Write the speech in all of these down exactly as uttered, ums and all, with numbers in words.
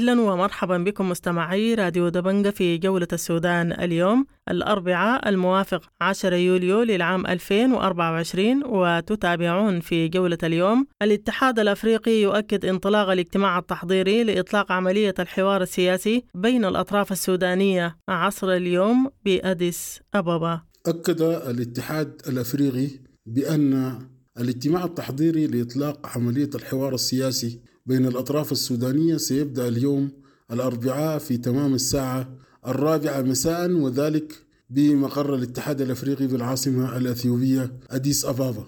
أهلا ومرحبا بكم مستمعي راديو دبنجة في جولة السودان اليوم الأربعاء الموافق عشرة يوليو للعام ألفين وأربعة وعشرين، وتتابعون في جولة اليوم: الاتحاد الأفريقي يؤكد انطلاق الاجتماع التحضيري لإطلاق عملية الحوار السياسي بين الأطراف السودانية عصر اليوم بأديس أبابا. أكد الاتحاد الأفريقي بأن الاجتماع التحضيري لإطلاق عملية الحوار السياسي بين الأطراف السودانية سيبدأ اليوم الأربعاء في تمام الساعة الرابعة مساء، وذلك بمقر الاتحاد الأفريقي بالعاصمة الأثيوبية أديس أبابا.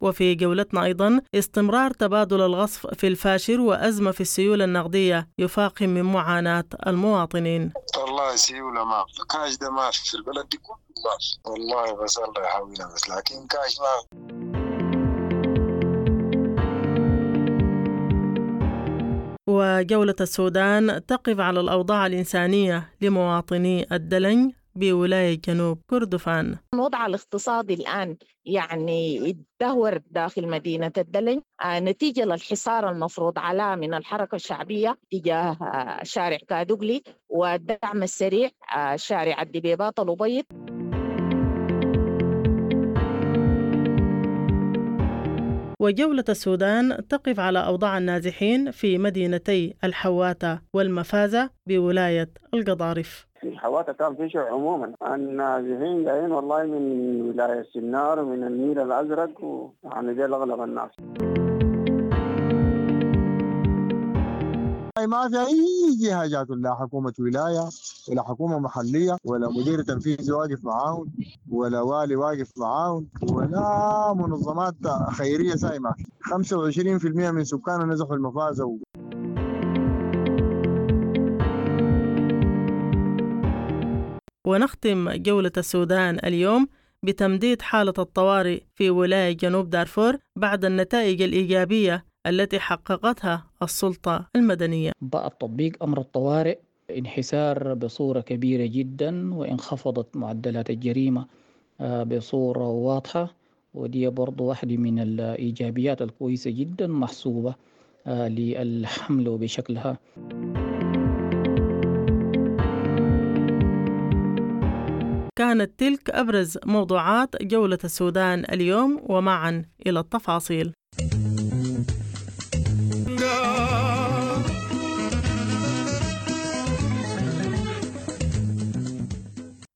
وفي جولتنا أيضا استمرار تبادل الغصف في الفاشر وأزمة في السيولة النقدية يفاقم من معاناة المواطنين. والله سيولة ما كاش ده ما في البلد دي كله ما والله، بس الله يحاولنا بس، لكن كاش ما. وجولة السودان تقف على الأوضاع الإنسانية لمواطني الدلنج بولاية جنوب كردفان. الوضع الاقتصادي الآن يعني يتدهور داخل مدينة الدلنج نتيجة للحصار المفروض على من الحركة الشعبية تجاه شارع كادوغلي والدعم السريع شارع الدبيبات الأبيض. وجولة السودان تقف على أوضاع النازحين في مدينتي الحواتة والمفازة بولاية القضارف. في الحواتة كان في شيء عموما النازحين جايين والله من ولاية سنار ومن النيل الأزرق، ويعني دي أغلب الناس. ما في أي جهة جات، لا حكومة ولاية ولا حكومة محلية ولا مدير تنفيذي واقف معاهم ولا والي واقف معاهم ولا منظمات خيرية سايمة. خمسة وعشرين بالمئة من سكاننا نزحوا المفازة و... ونختم جولة السودان اليوم بتمديد حالة الطوارئ في ولاية جنوب دارفور بعد النتائج الإيجابية التي حققتها السلطة المدنية. بعد تطبيق أمر الطوارئ انحسار بصورة كبيرة جدا، وانخفضت معدلات الجريمة بصورة واضحة، ودي برضو واحدة من الإيجابيات الكويسة جدا محسوبة للحمل بشكلها. كانت تلك أبرز موضوعات جولة السودان اليوم، ومعا إلى التفاصيل.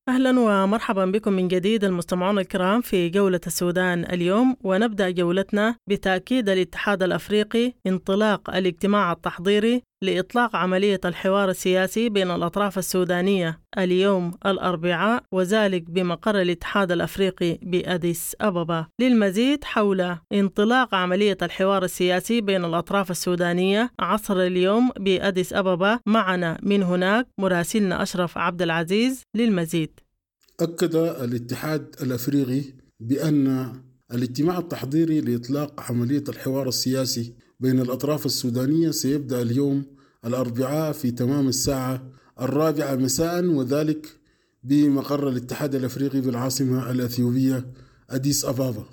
أهلا ومرحبا بكم من جديد المستمعون الكرام في جولة السودان اليوم، ونبدأ جولتنا بتأكيد الاتحاد الأفريقي انطلاق الاجتماع التحضيري لإطلاق عملية الحوار السياسي بين الأطراف السودانية اليوم الأربعاء، وذلك بمقر الاتحاد الأفريقي بأديس أبابا. للمزيد حول انطلاق عملية الحوار السياسي بين الأطراف السودانية عصر اليوم بأديس أبابا، معنا من هناك مراسلنا أشرف عبد العزيز للمزيد. أكد الاتحاد الأفريقي بأن الاجتماع التحضيري لإطلاق عملية الحوار السياسي بين الأطراف السودانية سيبدأ اليوم الأربعاء في تمام الساعة الرابعة مساء، وذلك بمقر الاتحاد الأفريقي بالعاصمة الأثيوبية أديس أبابا.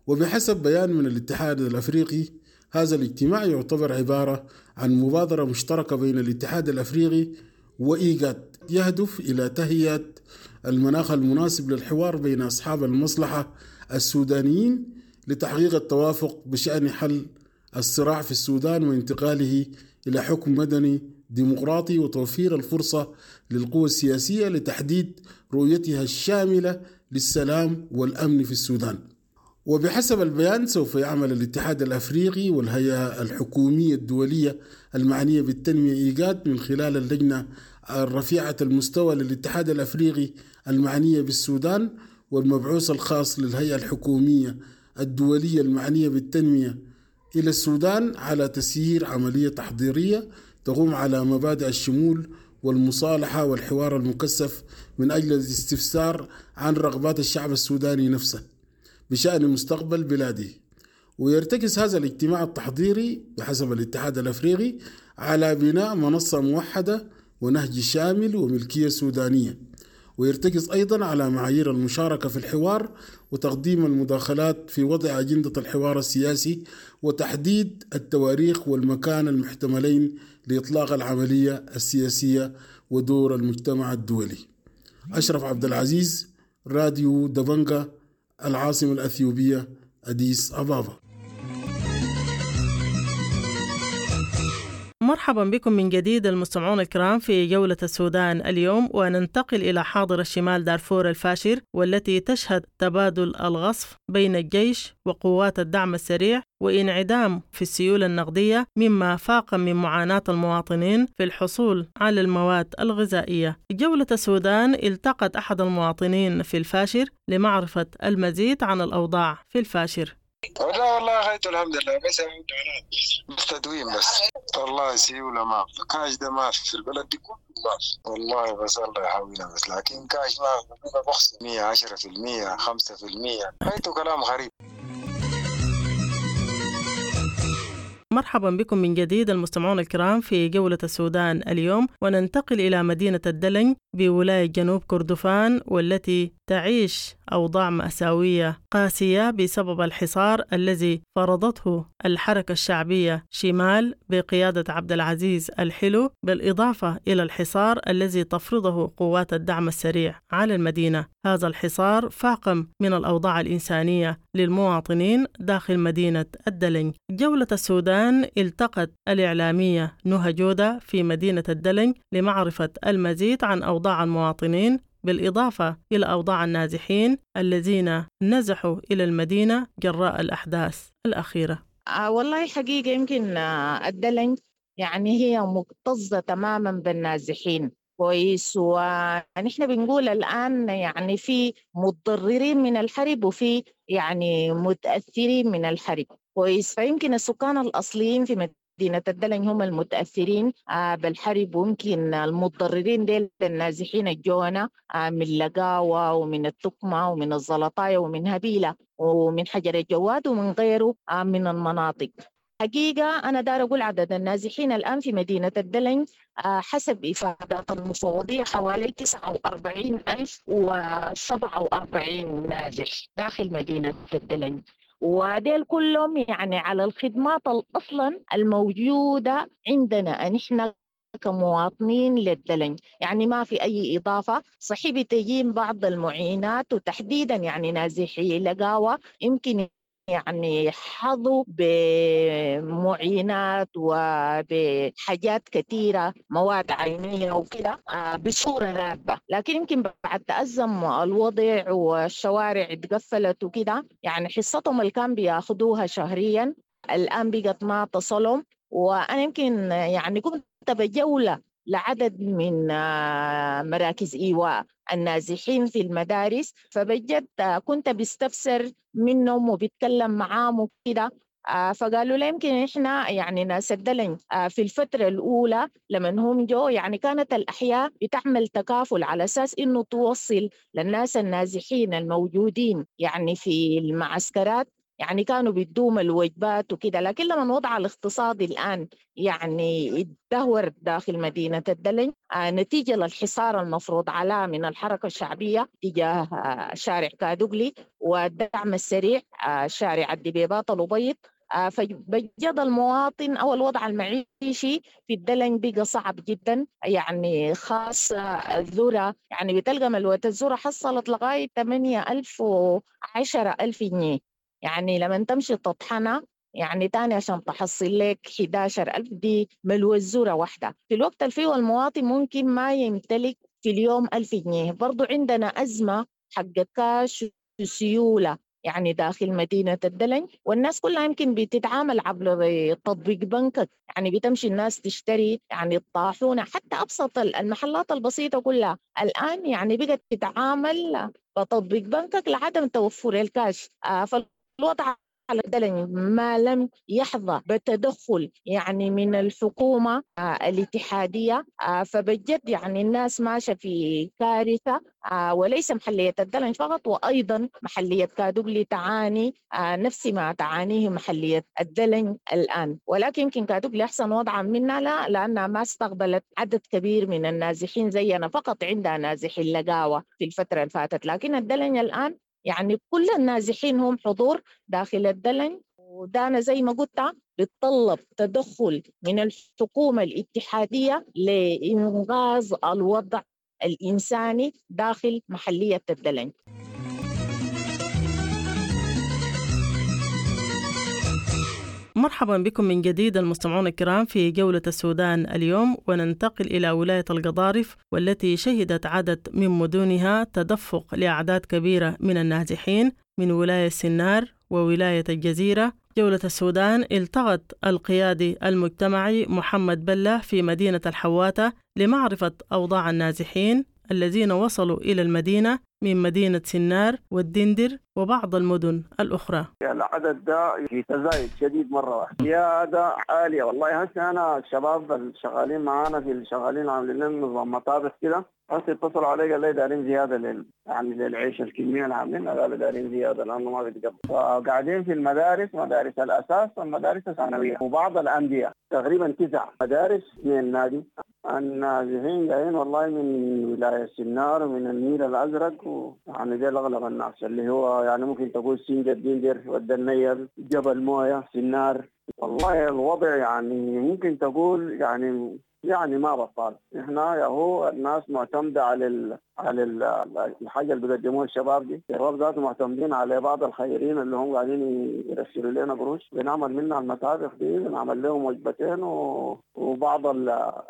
وبحسب بيان من الاتحاد الأفريقي، هذا الاجتماع يعتبر عبارة عن مبادرة مشتركة بين الاتحاد الأفريقي وإيجاد، يهدف إلى تهيئة المناخ المناسب للحوار بين أصحاب المصلحة السودانيين لتحقيق التوافق بشأن حل الصراع في السودان وانتقاله إلى حكم مدني ديمقراطي، وتوفير الفرصة للقوى السياسية لتحديد رؤيتها الشاملة للسلام والأمن في السودان. وبحسب البيان، سوف يعمل الاتحاد الأفريقي والهيئة الحكومية الدولية المعنية بالتنمية إيجاد من خلال اللجنة الرفيعة المستوى للاتحاد الأفريقي المعنية بالسودان والمبعوث الخاص للهيئة الحكومية الدولية المعنية بالتنمية إلى السودان على تسيير عملية تحضيرية تقوم على مبادئ الشمول والمصالحة والحوار المكثف من أجل الاستفسار عن رغبات الشعب السوداني نفسه بشأن مستقبل بلاده. ويرتكز هذا الاجتماع التحضيري بحسب الاتحاد الأفريقي على بناء منصة موحدة ونهج شامل وملكية سودانية، ويرتكز أيضا على معايير المشاركة في الحوار وتقديم المداخلات في وضع أجندة الحوار السياسي وتحديد التواريخ والمكان المحتملين لإطلاق العملية السياسية ودور المجتمع الدولي. أشرف عبد العزيز، راديو دبنجا، العاصمة الأثيوبية أديس أبابا. مرحبا بكم من جديد المستمعون الكرام في جولة السودان اليوم، وننتقل إلى حاضر الشمال دارفور الفاشر، والتي تشهد تبادل الغصف بين الجيش وقوات الدعم السريع وانعدام في السيولة النقدية، مما فاق من معاناة المواطنين في الحصول على المواد الغذائية. جولة السودان التقت أحد المواطنين في الفاشر لمعرفة المزيد عن الأوضاع في الفاشر. لا والله غاية الحمد لله، بس بس تدوين بس والله سيولة ما في، كاش ده ما في في البلد دي كله ما في والله، بس الله يحاولنا بس، لكن كاش ما في، بخص مية عشرة في المية خمسة في المية، غايته كلام غريب. مرحبا بكم من جديد المستمعون الكرام في جولة السودان اليوم، وننتقل إلى مدينة الدلنج بولاية جنوب كردفان، والتي تعيش أوضاع مأساوية قاسية بسبب الحصار الذي فرضته الحركة الشعبية شمال بقيادة عبد العزيز الحلو، بالإضافة إلى الحصار الذي تفرضه قوات الدعم السريع على المدينة. هذا الحصار فاقم من الأوضاع الإنسانية للمواطنين داخل مدينة الدلنج. جولة السودان التقت الإعلامية نهى جودة في مدينة الدلنج لمعرفة المزيد عن أوضاع المواطنين، بالإضافة إلى أوضاع النازحين الذين نزحوا إلى المدينة جراء الأحداث الأخيرة. آه والله حقيقة يمكن الدلنج يعني هي مكتظة تماما بالنازحين كويس، ونحن بنقول الآن يعني في متضررين من الحرب وفي يعني متأثرين من الحرب كويس. فيمكن السكان الأصليين في مدينة الدلنج هم المتأثرين بالحرب، ويمكن المتضررين ديل النازحين الجونا من لقاوة ومن التقمة ومن الزلطاية ومن هبيلة ومن حجر الجواد ومن غيره من المناطق. حقيقة أنا دار أقول عدد النازحين الآن في مدينة الدلنج حسب إفادات المفوضية حوالي تسعة وأربعين ألف وسبعة وأربعين نازح داخل مدينة الدلنج، وديل كلهم يعني على الخدمات أصلا الموجودة عندنا نحن كمواطنين للدلنج، يعني ما في أي إضافة. صحيح بتجين بعض المعينات وتحديدا يعني نازحي لقاوة يمكن يعني حظوا بمعينات وبحاجات كثيرة مواد عينية وكده بصورة راتبة، لكن يمكن بعد تأزم الوضع والشوارع اتقفلت وكده يعني حصتهم اللي كان بياخدوها شهريا الآن بقت ما تصلهم. وأنا يمكن يعني كنت بجولة لعدد من مراكز إيواء النازحين في المدارس، فبجد كنت بستفسر منهم وبتكلم معاهم وكده، فقالوا لي يمكن إحنا يعني ناس الدلنج في الفترة الأولى لما هم جو يعني كانت الأحياء بتعمل تكافل على أساس إنه توصل للناس النازحين الموجودين يعني في المعسكرات، يعني كانوا بيدوم الوجبات وكده. لكن لما الوضع الاقتصادي الآن يعني اتدهور داخل مدينة الدلنج نتيجة للحصار المفروض على من الحركة الشعبية تجاه شارع كادوغلي والدعم السريع شارع الدبيبات الأبيض، فبجد المواطن أو الوضع المعيشي في الدلنج بقى صعب جدا، يعني خاصة الذرة، يعني بتلقى ملوة الذرة حصلت لغاية ثمانية ألف وعشرة ألف جنيه، يعني لما تمشي تطحنها يعني تاني عشان تحصل لك إحدى عشر ألف دي ملوى الذرة واحدة. في الوقت اللي فيه المواطن ممكن ما يمتلك في اليوم ألف جنيه. برضو عندنا أزمة حق كاش وسيولة يعني داخل مدينة الدلنج، والناس كلها يمكن بتتعامل عبر تطبيق بنكك، يعني بتمشي الناس تشتري يعني الطاحونة حتى أبسط المحلات البسيطة كلها الآن يعني بقت تتعامل بتطبيق بنكك لعدم توفر الكاش. فالوضع على الدلنج ما لم يحظى بتدخل يعني من الحكومة الاتحادية فبجد يعني الناس ماشية في كارثة، وليس محلية الدلنج فقط، وأيضا محلية كادوغلي تعاني نفس ما تعانيه محلية الدلنج الآن، ولكن يمكن كادوغلي أحسن وضعا منا لا، لأنها ما استقبلت عدد كبير من النازحين زينا، فقط عندها نازحين لقاوة في الفترة اللي فاتت، لكن الدلنج الآن يعني كل النازحين هم حضور داخل الدلنج. ودانا زي ما قلت بتطلب تدخل من الحكومة الاتحادية لإنغاز الوضع الإنساني داخل محلية الدلنج. مرحبا بكم من جديد المستمعون الكرام في جولة السودان اليوم، وننتقل إلى ولاية القضارف والتي شهدت عدد من مدنها تدفق لأعداد كبيرة من النازحين من ولاية سنار وولاية الجزيرة. جولة السودان التقت القيادي المجتمعي محمد بلة في مدينة الحواتة لمعرفة أوضاع النازحين الذين وصلوا إلى المدينة من مدينة سنار والدندر وبعض المدن الأخرى. العدد ده في تزايد شديد مرة واحدة، زيادة عالية والله. هسه أنا الشباب الشغالين معانا في الشغالين عاملين لنا نظام مطابخ كده، هسه اتصلوا علي قال لي دارين زيادة لل يعني للعيش الكمية اللي عاملينها، قالوا دارين زيادة لأنه ما بيتقبل. فقاعدين في المدارس، مدارس الأساس والمدارس الثانوية وبعض الأندية، تقريبا تسع مدارس من النادي. النازحين جايين والله من ولاية سنار ومن النيل الأزرق، ويعني ديل أغلب الناس اللي هو يعني ممكن تقول سنجة، الدندر، والدنيل، جبل موية، سنار. والله الوضع يعني ممكن تقول يعني يعني ما بطال. احنا يا هو الناس معتمدة على ال على ال الحاجة اللي بيقدموها الشباب دي، الشباب ذاته معتمدين على بعض الخيرين اللي هم قاعدين يرسلوا لنا قروش، بنعمل منها المطابخ دي، بنعمل لهم وجبتين و... وبعض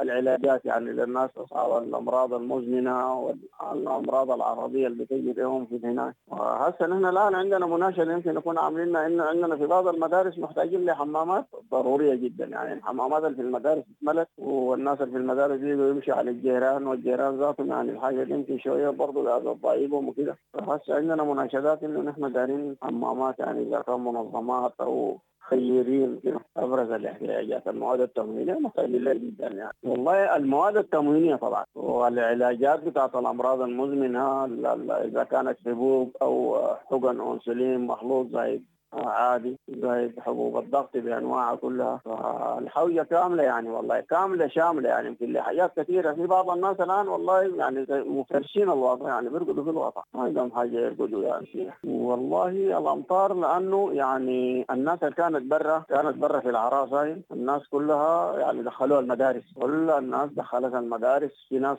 العلاجات يعني للناس اصحاب الامراض المزمنة والامراض العرضية اللي بتجي لهم في هناك. وهسه نحن الان عندنا مناشده يمكن نكون عاملينها، انه عندنا في بعض المدارس محتاجين لحمامات ضرورية جدا، يعني الحمامات اللي في المدارس اتملت، والناس اللي في المدارس بيجوا يمشوا على الجيران، والجيران ذاتهم يعني الحاجة دي يمكن شوية برضه قاعدة تضايقهم وكده. فهسه عندنا مناشدات انه نحن دارين حمامات، يعني اذا كان منظمات او خيرين كده. ابرز الاحتياجات المواد التموينيه محتاجين لها جدا يعني والله، المواد التموينيه طبعا، والعلاجات بتاعت الامراض المزمنة اذا كانت حبوب او حقن انسولين مخلوط زي عادي، زي حبوب الضغط بانواعها كلها. فالحوجه كاملة يعني والله، كاملة شاملة يعني، يمكن لحاجات كثيرة. في بعض الناس الان والله يعني مفرشين الوضع، يعني بيرقدوا في الوضع، ما عندهم حاجة يرقدوا يعني فيها. والله الامطار لانه يعني الناس اللي كانت برا كانت برا في العراس هاي، الناس كلها يعني دخلوها المدارس، كل الناس دخلتها المدارس، في ناس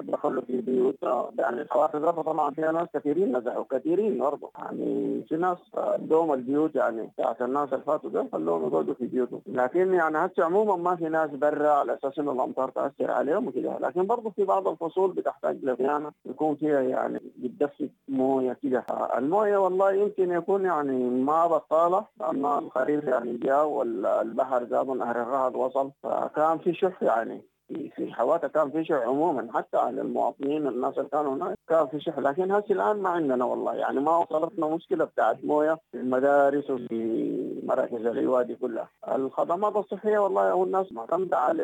دخلوا في بيوت يعني الحوافز طبعا فيها ناس كثيرين نزحوا كثيرين برضه، يعني في ناس دوم البيوت يعني بتاعت الناس اللي فاتوا ده خلوهم يقعدوا في بيوتهم. لكن يعني هسه عموما ما في ناس برا على اساس انه الامطار تاثر عليهم وكده، لكن برضه في بعض الفصول بتحتاج لصيانه يكون فيها يعني بتدفق مويه كده. المويه والله يمكن يكون يعني ما بطاله، لان الخريف يعني جاء والبحر زاد ونهر الرهد وصل، فكان في شح يعني في الحواتة، كان في شح عموما حتى على المواطنين الناس اللي كانوا هناك كان في شح. لكن هسه الان ما عندنا والله يعني ما وصلتنا مشكلة بتاعت مويه في المدارس وفي مراكز العوادي كلها. الخدمات الصحية والله هو الناس معتمدة على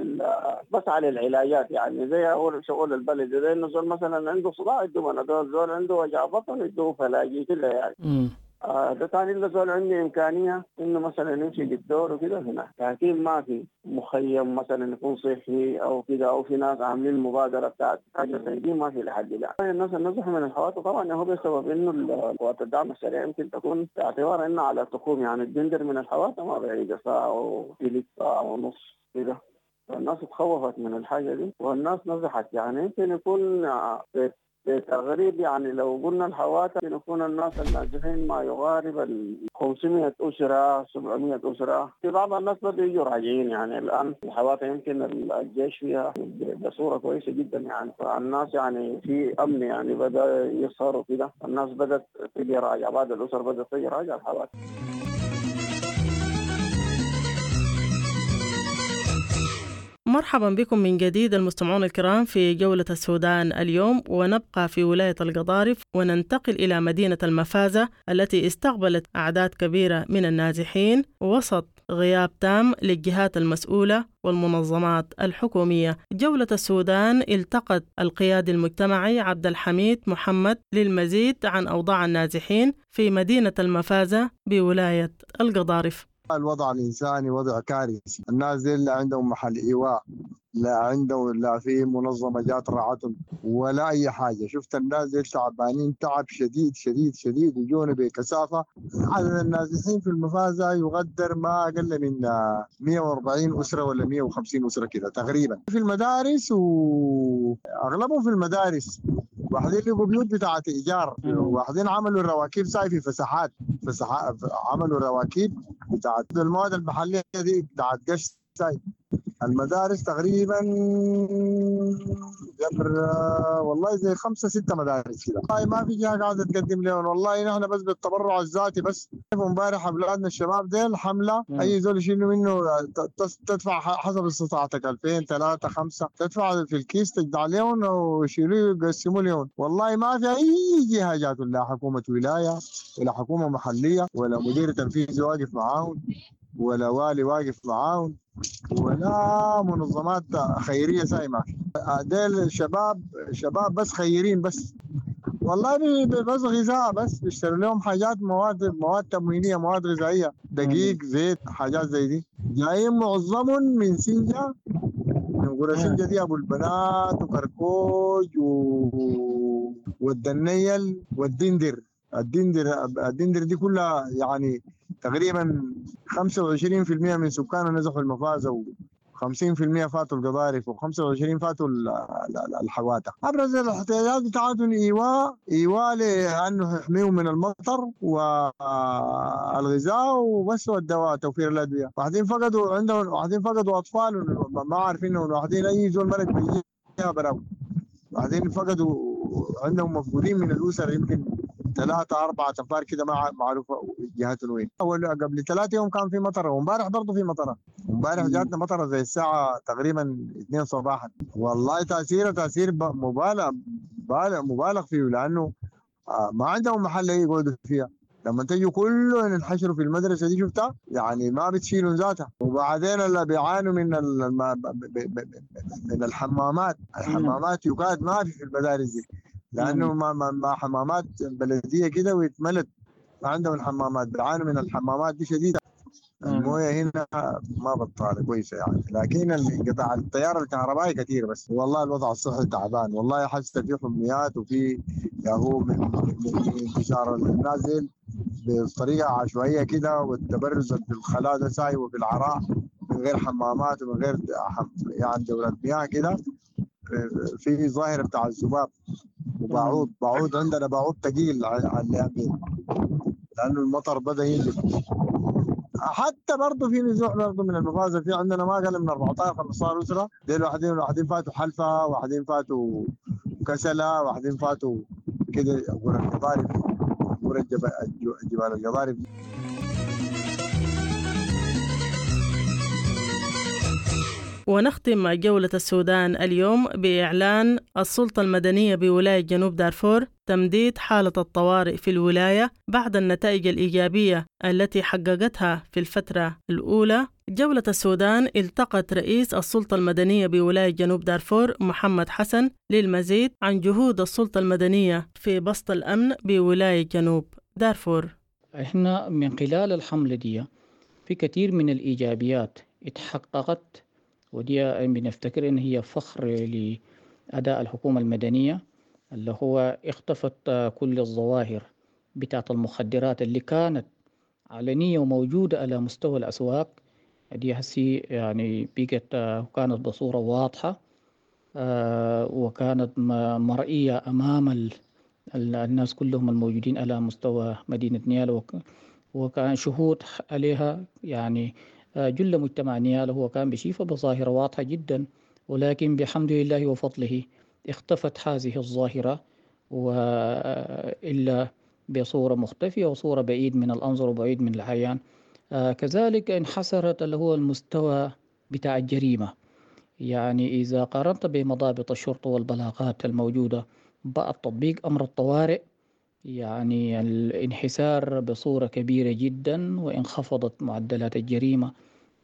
بس على العلاجات، يعني زي اول شغل البلد، زي انه زول مثلا عنده صداع يدوه بنادول، زول عنده وجع بطن يدوه فلاجي كده يعني. مم. آه ده ثاني الا زول عندي امكانية انه مثلا يمشي للدور وكده هناك، لكن ما في مخيم مثلا يكون صحي او كده، او في ناس عاملين مبادرة بتاعت حاجة زي دي ما في لحد الان. الناس اللي نزحوا من الحوادث طبعا هو بسبب انه قوات الدعم السريع يمكن تكون باعتبار انه على تقوم، يعني الدندر من الحوادث ما بعيدة ساعة وثلث ساعة ونص كده، الناس تخوفت من الحاجة دي والناس نزحت. يعني يمكن يكون بتغريب يعني لو قلنا الحواتة يكون الناس النازحين ما يقارب ال خمسمائة أسرة سبعمائة أسرة. في بعض الناس بدوا يجوا راجعين، يعني الآن الحواتة يمكن الجيش فيها بصورة كويسة جدا يعني، فالناس يعني في أمن يعني بدأ يسهروا كده، الناس بدأت تجي راجع، بعض الأسر بدأت تجي راجع الحواتة. مرحبا بكم من جديد المستمعون الكرام في جولة السودان اليوم، ونبقى في ولاية القضارف وننتقل إلى مدينة المفازة التي استقبلت أعداد كبيرة من النازحين وسط غياب تام للجهات المسؤولة والمنظمات الحكومية. جولة السودان التقت القيادي المجتمعي عبد الحميد محمد للمزيد عن أوضاع النازحين في مدينة المفازة بولاية القضارف. الوضع الإنساني وضع كارثي، الناس دي لا عندهم محل إيواء، لا عندهم لا في منظمة جات رعتهم ولا أي حاجة. شفت الناس دي تعبانين تعب شديد شديد شديد، وجونا بكثافة. عدد النازحين في المفازة يقدر ما أقل من مئة وأربعين أسرة ولا مئة وخمسين أسرة كده تقريبا في المدارس، وأغلبهم في المدارس. واحدين لقوا بيوت بتاعت إيجار، واحدين عملوا الرواكيب ساي في فسحات، فسحات عملوا رواكيب بتاعت المواد المحلية دي بتاعت قش ساي. المدارس تقريبا جبر والله زي خمسة ستة مدارس كده. والله ما في جهة قاعدة تقدم لهم، والله نحن بس بالتبرع الذاتي بس. امبارح اولادنا الشباب ديل حملة، اي زول يشيلوا منه تدفع حسب استطاعتك ألفين ثلاثة خمسة، تدفع في الكيس تجدع لهم ويشيلوه يقسموا لهم. والله ما في اي جهة جات، لا حكومة ولاية ولا حكومة محلية ولا مدير تنفيذي واقف معاهم ولا والي واقف معاهم ولا منظمات خيرية ساي ما في. ديل شباب شباب بس خيرين بس، والله بس غذاء بس، بيشتروا لهم حاجات مواد مواد تموينية، مواد غذائية، دقيق زيت حاجات زي دي. جايين معظمهم من سنجة، من قرى سنجة دي، أبو البنات وكركوج و... والدنيل والدندر. الدندر الدندر دي كلها يعني تقريبا خمسة وعشرين بالمئة من سكانها نزحوا المفازة، وخمسين بالمئة فاتوا القضارف، وخمسة وعشرين فاتوا الحواتة. أبرز الاحتياجات بتاعتهم إيواء، إيواء لأنه يحميهم من المطر والغذاء وبس، والدواء، توفير الأدوية. واحدين فقدوا عندهم، واحدين فقدوا أطفال ما عارفين، واحدين أي زول مرق بيجيها براو، واحدين فقدوا عندهم مفقودين من الأسر يمكن ثلاثة أربعة أنفار كده ما معروفة جهاتهم وين. أول قبل ثلاثة يوم كان في مطرة، وامبارح برضه في مطرة. امبارح جاتنا مطرة زي الساعة تقريبا اثنين صباحا. والله تأثيره تأثير مبالغ مبالغ فيه، لأنه ما عندهم محل يقعدوا فيها. لما تجوا كلهم ينحشروا في المدرسة دي شفتها يعني ما بتشيلوا ذاتها. وبعدين اللي بيعانوا من من الحمامات، الحمامات يكاد ما في في المدارس دي، لانه ما ما حمامات بلديه كده ويتملت، ما عندهم الحمامات، بيعانوا من الحمامات دي شديده. المويه هنا ما بطاله كويسه يعني، لكن انقطاع التيار الكهربائي كثير بس. والله الوضع الصحي تعبان، والله حاسه في حميات وفي ياهو من انتشار النازل بطريقه عشوائيه كده، والتبرز في الخلاء ده ساي وفي العراء من غير حمامات ومن غير يعني دورات مياه كده. في ظاهره بتاع الذباب وبعوض، بعوض عندنا بعوض ثقيل على اليمين لانه المطر بدا ينزل. حتى برضه في نزوح برضه من المفازه، في عندنا ما اقل من أربعة عشر خمسة عشر اسره ديل، واحدين واحدين فاتوا حلفه، واحدين فاتوا كسله، واحدين فاتوا كده قرى القضارف، قرى جبال القضارف. ونختم جولة السودان اليوم بإعلان السلطة المدنية بولاية جنوب دارفور تمديد حالة الطوارئ في الولاية بعد النتائج الإيجابية التي حققتها في الفترة الأولى. جولة السودان التقت رئيس السلطة المدنية بولاية جنوب دارفور محمد حسن للمزيد عن جهود السلطة المدنية في بسط الأمن بولاية جنوب دارفور. احنا من خلال الحملة دي في كثير من الإيجابيات اتحققت، ودي بنفتكر إن هي فخر لأداء الحكومة المدنية، اللي هو اختفت كل الظواهر بتاعت المخدرات اللي كانت علنية وموجودة على مستوى الأسواق دي، هسي يعني بقت كانت بصورة واضحة وكانت مرئية أمام الناس كلهم الموجودين على مستوى مدينة نيالا، وكان شهود عليها يعني جل مجتمع نيالا هو كان بشيفة بظاهرة واضحة جدا، ولكن بحمد الله وفضله اختفت هذه الظاهرة وإلا بصورة مختفية وصورة بعيد من الأنظر وبعيد من العيان. كذلك انحسرت اللي هو المستوى بتاع الجريمة، يعني إذا قارنت بمضابط الشرطة والبلاغات الموجودة بعد تطبيق أمر الطوارئ، يعني الانحسار بصورة كبيرة جدا، وانخفضت معدلات الجريمة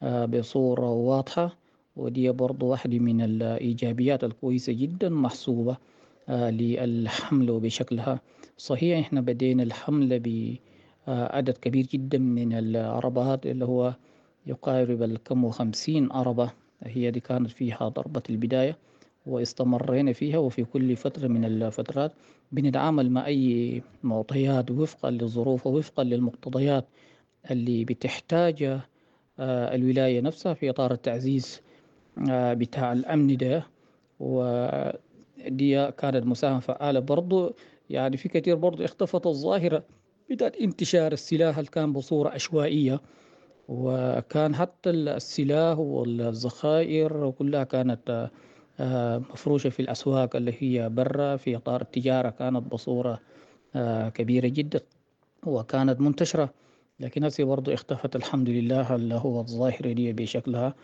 بصورة واضحة. ودي برضو واحدة من الإيجابيات الكويسة جدا محسوبة للحملة بشكلها. صحيح احنا بدينا الحملة بعدد كبير جدا من العربات اللي هو يقارب الكم وخمسين عربة، هي دي كانت فيها ضربة البداية واستمرينا فيها. وفي كل فترة من الفترات بنتعامل مع أي معطيات وفقا للظروف ووفقا للمقتضيات اللي بتحتاج الولاية نفسها في إطار التعزيز بتاع الأمن ده. ودي كانت مساهمة فعالة برضو. يعني في كثير برضو اختفت الظاهرة بدأت انتشار السلاح اللي كان بصورة عشوائية، وكان حتى السلاح والذخائر كلها كانت مفروشة في الأسواق اللي هي برا في إطار التجارة، كانت بصورة كبيرة جدا وكانت منتشرة. لكن هسه برضو اختفت الحمد لله اللي هو الظاهرة دي بشكلها.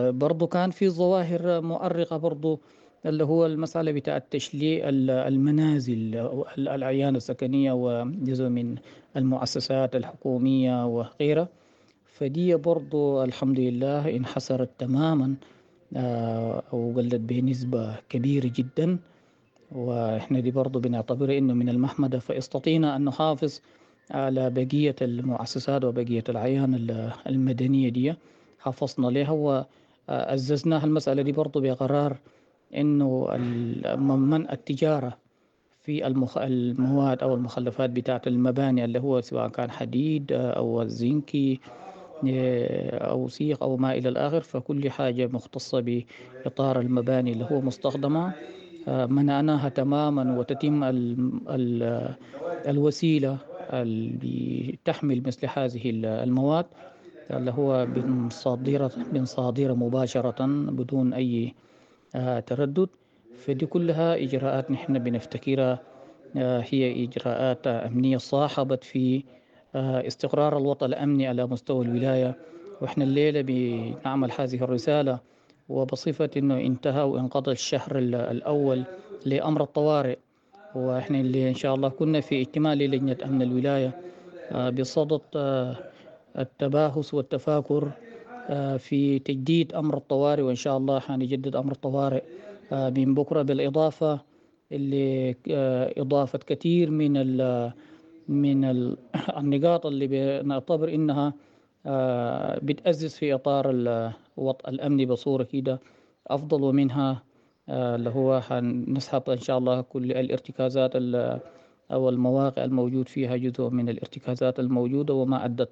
برضو كان في ظواهر مؤرقة برضو اللي هو المسألة بتاع تشليع المنازل الأعيان السكنية وجزء من المؤسسات الحكومية وغيرها. فدي برضو الحمد لله انحسرت تماما وقلت بنسبة كبيرة جدا، وإحنا دي برضو بنعتبرها إنه من المحمدة. فاستطينا أن نحافظ على بقية المؤسسات وبقية الأعيان المدنية دي، حافظنا لها وعززناها المسألة دي برضو بقرار إنه منع التجارة في المخ... المواد أو المخلفات بتاعة المباني اللي هو سواء كان حديد أو الزنكي أو سيخ أو ما إلى الآخر. فكل حاجة مختصة بإطار المباني اللي هو مستخدمة منعناها تماما، وتتم ال... ال... الوسيلة اللي تحمل مثل هذه المواد اللي هو بنصادرة بنصادرة مباشرة بدون أي تردد. فدي كلها إجراءات نحن بنفتكرها هي إجراءات أمنية صاحبت في استقرار الوضع الأمني على مستوى الولاية. وإحنا الليلة بنعمل هذه الرسالة وبصفة أنه انتهى وانقضى الشهر الأول لأمر الطوارئ، وإحنا اللي إن شاء الله كنا في اجتماع للجنة أمن الولاية بصدد التباحث والتفاكر في تجديد أمر الطوارئ، وإن شاء الله حنجدد أمر الطوارئ من بكرة، بالإضافة اللي إضافة كثير من ال من ال النقاط اللي بنعتبر إنها بتأسس في إطار الوضع الأمني بصورة كده أفضل، ومنها اللي هو حنسحب إن شاء الله كل الارتكازات أو المواقع الموجود فيها جزء من الارتكازات الموجودة وما أدت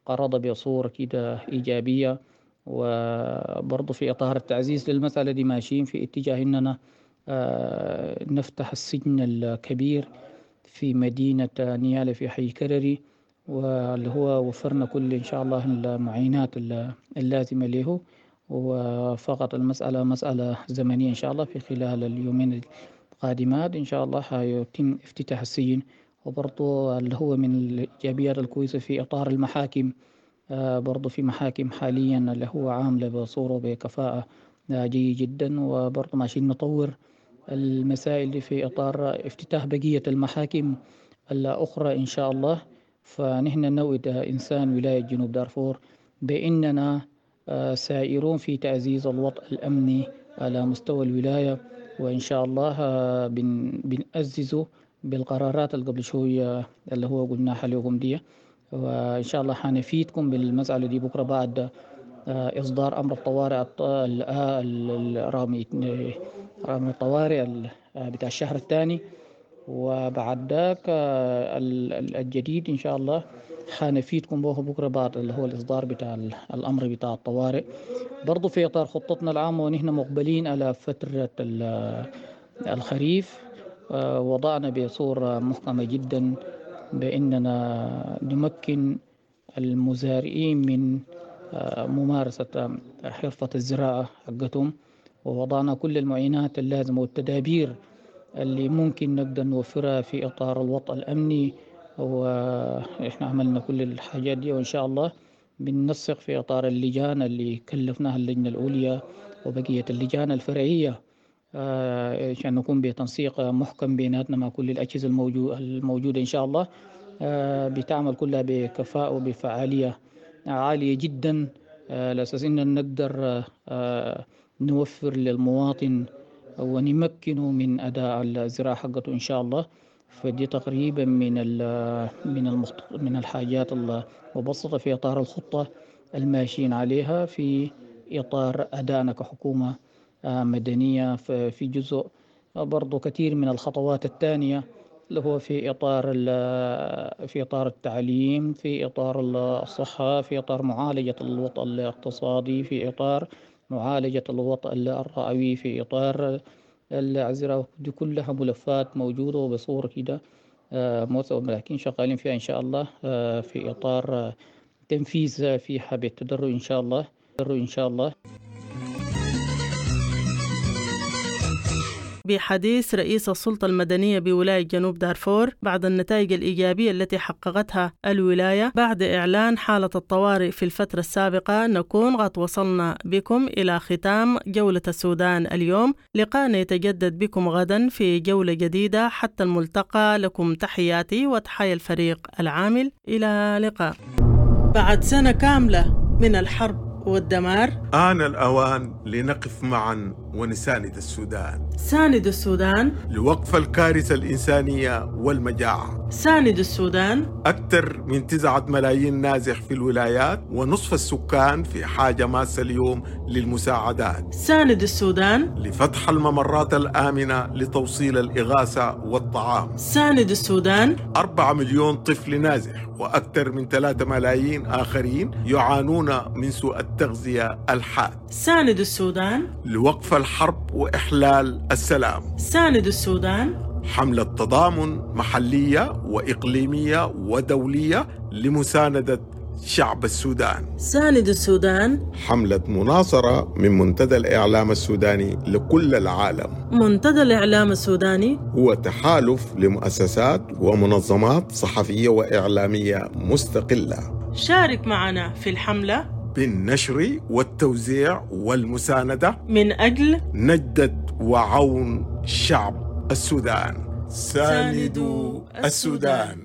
قرض بصورة كده إيجابية. وبرضه في إطار التعزيز للمسألة دي ماشيين في اتجاه إننا نفتح السجن الكبير في مدينة نيالا في حي كرري، واللي هو وفرنا كل إن شاء الله المعينات اللازمة له، وفقط المسألة مسألة زمنية إن شاء الله في خلال اليومين القادمات إن شاء الله حيتم افتتاح السجن. وبرضه اللي هو من الإيجابيات الكويسة في إطار المحاكم، برضه في محاكم حاليا اللي هو عاملة بصورة بكفاءة جيدة جدا، وبرضه ماشيين نطور المسائل دي في إطار افتتاح بقية المحاكم الأخرى إن شاء الله. فنحن نود إنسان ولاية جنوب دارفور بأننا سائرون في تعزيز الوضع الأمني على مستوى الولاية، وإن شاء الله بنأززه بالقرارات اللي قبل شوية اللي هو قلناها لكم دي، وإن شاء الله حنفيدكم بالمسألة دي بكرة بعد إصدار أمر الطوارئ رقم الطوارئ بتاع الشهر الثاني، وبعد ذاك الجديد إن شاء الله حنفيدكم به بكرة بعد اللي هو الإصدار بتاع الأمر بتاع الطوارئ. برضو في إطار خطتنا العامة ونحن مقبلين على فترة الخريف، وضعنا بصورة محكمة جدا بأننا نمكن المزارعين من ممارسة حرفة الزراعة حقتهم، ووضعنا كل المعينات اللازمة والتدابير اللي ممكن نقدر نوفرها في إطار الوضع الأمني، وإحنا عملنا كل الحاجات دي، وإن شاء الله بننسق في إطار اللجان اللي كلفناها اللجنة العليا وبقية اللجان الفرعية عشان نكون بتنسيق محكم بيناتنا مع كل الأجهزة الموجودة إن شاء الله، بتعمل كلها بكفاءة وبفعالية عالية جدا، على أساس إننا نقدر نوفر للمواطن ونمكنه من أداء الزراعة حقته إن شاء الله. فدي تقريبا من من من الحاجات المبسطة في إطار الخطة الماشيين عليها في إطار أدائنا كحكومة مدنية. في جزء برضو كثير من الخطوات الثانية اللي هو في إطار في إطار التعليم، في إطار الصحة، في إطار معالجة الوضع الاقتصادي، في إطار معالجة الوضع الرعوي، في إطار الزراعة. دي كلها ملفات موجودة وبصورة كده لكن شغالين فيها إن شاء الله في إطار تنفيذ فيها بالتدرج إن شاء الله إن شاء الله. بحديث رئيس السلطة المدنية بولاية جنوب دارفور بعد النتائج الإيجابية التي حققتها الولاية بعد إعلان حالة الطوارئ في الفترة السابقة، نكون قد وصلنا بكم إلى ختام جولة السودان اليوم. لقاءنا يتجدد بكم غدا في جولة جديدة، حتى الملتقى لكم تحياتي وتحيا الفريق العامل. إلى لقاء. بعد سنة كاملة من الحرب والدمار، آن الأوان لنقف معا ونساند السودان. ساند السودان لوقف الكارثة الإنسانية والمجاعة. ساند السودان. أكثر من تسعة ملايين نازح في الولايات ونصف السكان في حاجة ماسة اليوم للمساعدات. ساند السودان لفتح الممرات الآمنة لتوصيل الإغاثة والطعام. ساند السودان. أربعة مليون طفل نازح وأكثر من ثلاثة ملايين آخرين يعانون من سوء التغذية الحاد. ساند السودان لوقف الحرب وإحلال السلام. ساند السودان. حملة تضامن محلية وإقليمية ودولية لمساندة شعب السودان. ساند السودان. حملة مناصرة من منتدى الإعلام السوداني لكل العالم. منتدى الإعلام السوداني هو تحالف لمؤسسات ومنظمات صحفية وإعلامية مستقلة. شارك معنا في الحملة بالنشر والتوزيع والمساندة من أجل نجدة وعون شعب السودان. ساندوا السودان.